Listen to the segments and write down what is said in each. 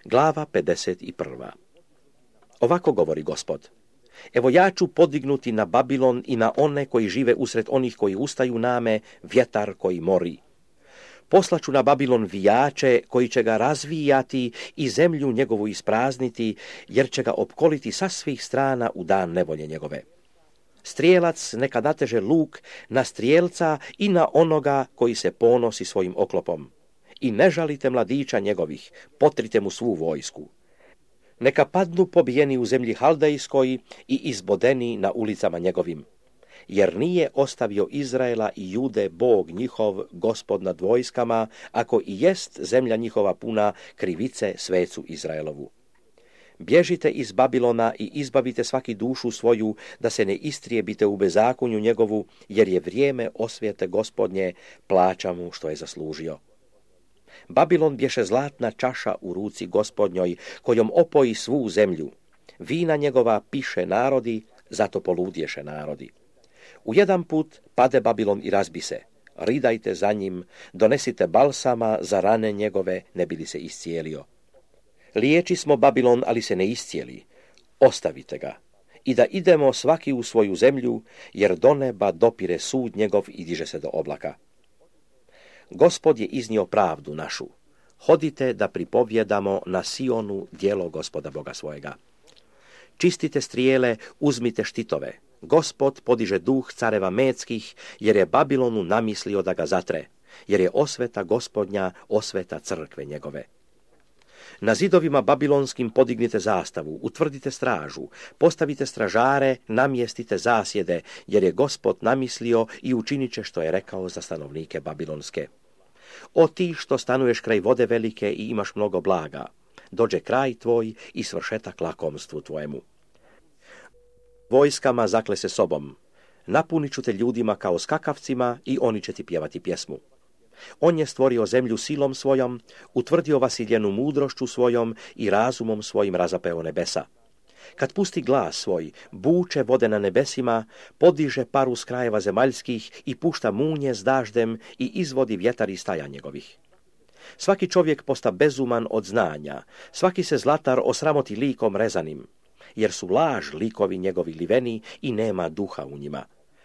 Glava 51. Ovako govori Gospod. Evo ja ću podignuti na Babilon i na one koji žive usred onih koji ustaju name vjetar koji mori. Poslaću na Babilon vijače koji će ga razvijati i zemlju njegovu isprazniti, jer će ga opkoliti sa svih strana u dan nevolje njegove. Strijelac neka nateže luk na strijelca i na onoga koji se ponosi svojim oklopom. I ne žalite mladića njegovih, potrite mu svu vojsku. Neka padnu pobijeni u zemlji Haldejskoj i izbodeni na ulicama njegovim. Jer nije ostavio Izraela i Jude Bog njihov, Gospod nad vojskama, ako i jest zemlja njihova puna krivice svecu Izraelovu. Bježite iz Babilona i izbavite svaki dušu svoju, da se ne istrijebite u bezakonju njegovu, jer je vrijeme osvijete Gospodnje, plaća mu što je zaslužio. Babilon bješe zlatna čaša u ruci Gospodnjoj, kojom opoji svu zemlju. Vina njegova piše narodi, zato poludješe narodi. U jedan put pade Babilon i razbi se. Ridajte za njim, donesite balsama za rane njegove, ne bi li se iscijelio. Liječi smo Babilon, ali se ne iscijeli. Ostavite ga. I da idemo svaki u svoju zemlju, jer do neba dopire sud njegov i diže se do oblaka. Gospod je iznio pravdu našu. Hodite da pripovjedamo na Sionu djelo Gospoda Boga svojega. Čistite strijele, uzmite štitove. Gospod podiže duh careva Medskih, jer je Babilonu namislio da ga zatre, jer je osveta Gospodnja, osveta crkve njegove. Na zidovima babilonskim podignite zastavu, utvrdite stražu, postavite stražare, namjestite zasjede, jer je Gospod namislio i učinit će što je rekao za stanovnike babilonske. O ti što stanuješ kraj vode velike i imaš mnogo blaga, dođe kraj tvoj i svršetak lakomstvu tvojemu. Vojskama zakle se sobom, napunit ću te ljudima kao skakavcima i oni će ti pjevati pjesmu. On je stvorio zemlju silom svojom, utvrdio vasiljenu mudrošću svojom i razumom svojim razapeo nebesa. Kad pusti glas svoj, buče vode na nebesima, podiže paru s krajeva zemaljskih i pušta munje s daždem i izvodi vjetar iz staja njegovih. Svaki čovjek posta bezuman od znanja, svaki se zlatar osramoti likom rezanim, jer su laž likovi njegovi liveni i nema duha u njima.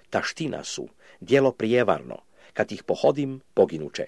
Taština su, djelo prijevarno, kad ih pohodim, poginuće.